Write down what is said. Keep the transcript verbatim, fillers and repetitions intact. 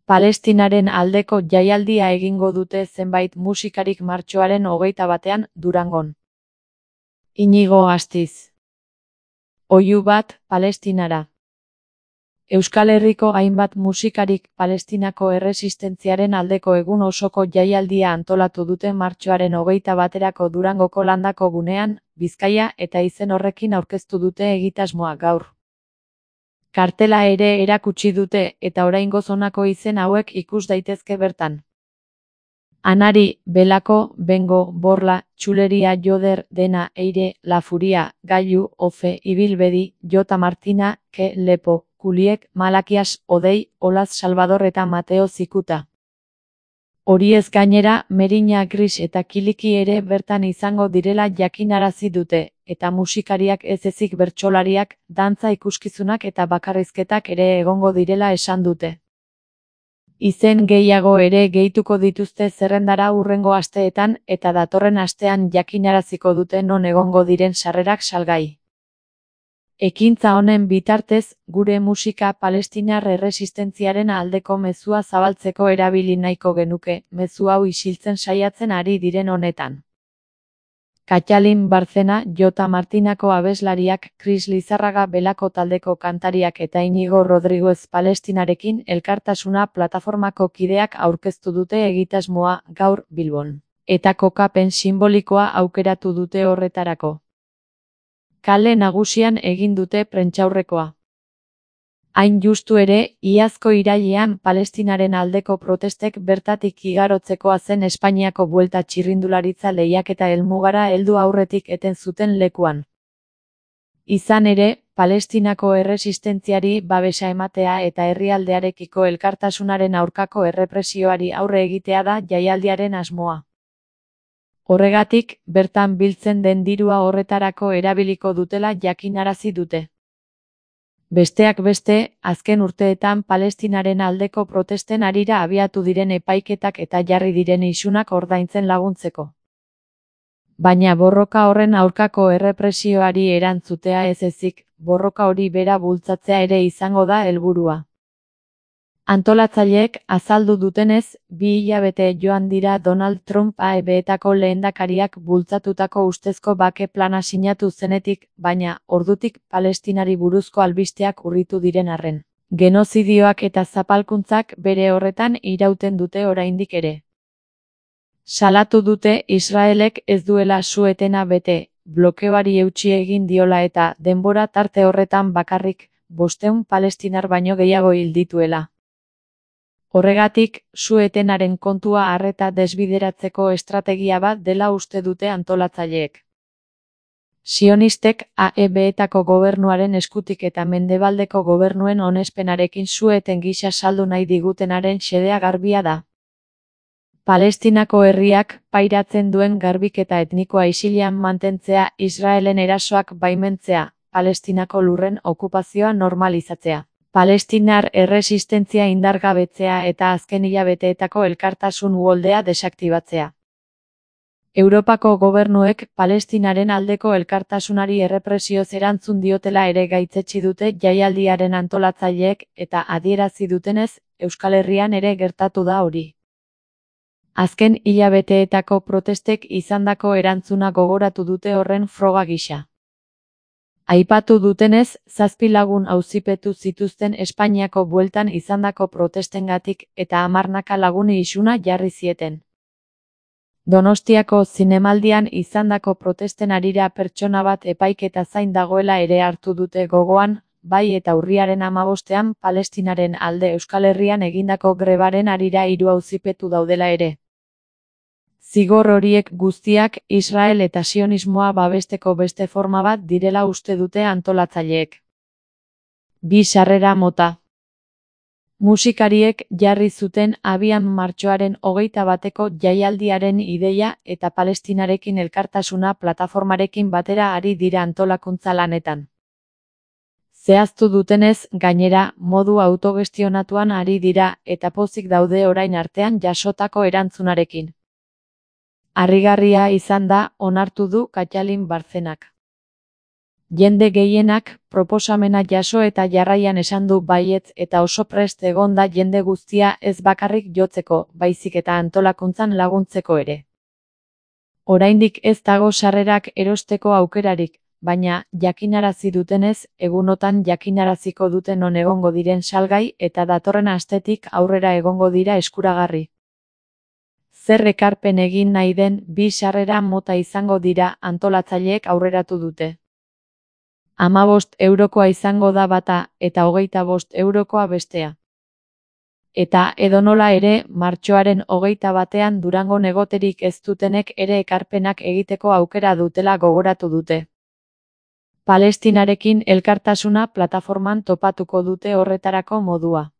Palestinaren aldeko jaialdia egingo dute zenbait musikarik martxoaren hogeita batean Durangon. Inigo Astiz. Oihu bat, Palestinara. Euskal Herriko hainbat musikarik Palestinako erresistentziaren aldeko egun osoko jaialdia antolatu dute martxoaren hogeita baterako Durangoko Landako gunean, Bizkaia eta izen horrekin aurkeztu dute egitasmoa gaur. Kartela ere erakutsi dute eta oraingoz honako izen hauek ikus daitezke bertan. Anari, Belako, Bengo, Borla, Txuleria, Joder, Dena, Eire, La Furia, Gailu, Ofe, Ibilbedi, Jota Martina, Ke, Lepo, Kuliek, Malakias, Odei, Olaz Salvador eta Mateo Zikuta. Horiez gainera, Merina Gris eta Kiliki ere bertan izango direla jakinarazi dute, eta musikariak ez ezik bertsolariak, dantza ikuskizunak eta bakarrizketak ere egongo direla esan dute. Izen gehiago ere gehituko dituzte zerrendara hurrengo asteetan eta datorren astean jakinaraziko dute non egongo diren sarrerak salgai. Ekintza honen bitartez, gure musika palestinar erresistentziaren aldeko mezua zabaltzeko erabili nahiko genuke, mezu hau isiltzen saiatzen ari diren honetan. Katxalin Barcena, Jota Martinako abeslariak, Kris Lizarraga Belako taldeko kantariak eta Inigo Rodriguez Palestinarekin elkartasuna plataformako kideak aurkeztu dute egitasmoa gaur Bilbon, eta kokapen sinbolikoa aukeratu dute horretarako. Kale nagusian egin dute prentsaurrekoa. Hain justu ere, iazko irailean Palestinaren aldeko protestek bertatik igarotzekoa zen Espainiako buelta txirrindularitza lehiaketa helmugara heldu aurretik eten zuten lekuan. Izan ere, Palestinako erresistentziari babesa ematea eta herrialdearekiko elkartasunaren aurkako errepresioari aurre egitea da jaialdiaren asmoa. Horregatik, bertan biltzen den dirua horretarako erabiliko dutela jakinarazi dute. Besteak beste, azken urteetan Palestinaren aldeko protesten harira abiatu diren epaiketak eta jarri diren isunak ordaintzen laguntzeko. Baina borroka horren aurkako errepresioari erantzutea ez ezik, borroka hori bera bultzatzea ere izango da helburua. Antolatzaileek azaldu dutenez, bi hilabete joan dira Donald Trump A E B-etako lehendakariak bultzatutako ustezko bake plana sinatu zenetik, baina, ordutik Palestinari buruzko albisteak urritu diren arren. Genozidioak eta zapalkuntzak bere horretan irauten dute oraindik ere. Salatu dute Israelek ez duela su-etena bete, blokeoari eutsi egin diola eta denbora tarte horretan bakarrik, bostehun palestinar baino gehiago hil dituela. Horregatik, su-etenaren kontua arreta desbideratzeko estrategia bat dela uste dute antolatzaileek. Sionistek A E B-etako gobernuaren eskutik eta mendebaldeko gobernuen onespenarekin su-eten gisa saldu nahi digutenaren xedea garbia da. Palestinako herriak pairatzen duen garbiketa etnikoa isilean mantentzea, Israelen erasoak baimentzea, Palestinako lurren okupazioa normalizatzea. Palestinar erresistentzia indargabetzea eta azken hilabeteetako elkartasun uholdea desaktibatzea. Europako gobernuek Palestinaren aldeko elkartasunari errepresioz erantzun diotela ere gaitzetsi dute jaialdiaren antolatzaileek eta adierazi dutenez, Euskal Herrian ere gertatu da hori. Azken hilabeteetako protestek izandako erantzuna gogoratu dute horren froga gisa. Aipatu dutenez, zazpi lagun auzipetu zituzten Espainiako bueltan izandako protestengatik eta hamarnaka laguni isuna jarri zieten. Donostiako zinemaldian izandako protesten harira pertsona bat epaiketa zain dagoela ere hartu dute gogoan, bai eta urriaren hamabostean Palestinaren alde Euskal Herrian egindako grebaren harira hiru auzipetu daudela ere. Zigor horiek guztiak Israel eta sionismoa babesteko beste forma bat direla uste dute antolatzaileek. Bi sarrera mota. Musikariek jarri zuten abian martxoaren hogeita bateko jaialdiaren ideia eta Palestinarekin elkartasuna plataformarekin batera ari dira antolakuntza lanetan. Zehaztu dutenez, gainera, modu autogestionatuan ari dira eta pozik daude orain artean jasotako erantzunarekin. Harrigarria izan da, onartu du Katxalin Barcenak. Jende gehienak proposamena jaso eta jarraian esan du baietz eta oso prest egon da jende guztia ez bakarrik jotzeko, baizik eta antolakuntzan laguntzeko ere. Oraindik ez dago sarrerak erosteko aukerarik, baina jakinarazi dutenez, egunotan jakinaraziko dute non egongo diren salgai eta datorren astetik aurrera egongo dira eskuragarri. Zer ekarpen egin nahi den bi sarrera mota izango dira antolatzaileek aurreratu dute. Hamabost eurokoa izango da bata eta hogeita bost eurokoa bestea. Eta edonola ere, martxoaren hogeita batean Durangon egoterik ez dutenek ere ekarpenak egiteko aukera dutela gogoratu dute. Palestinarekin elkartasuna plataforman topatuko dute horretarako modua.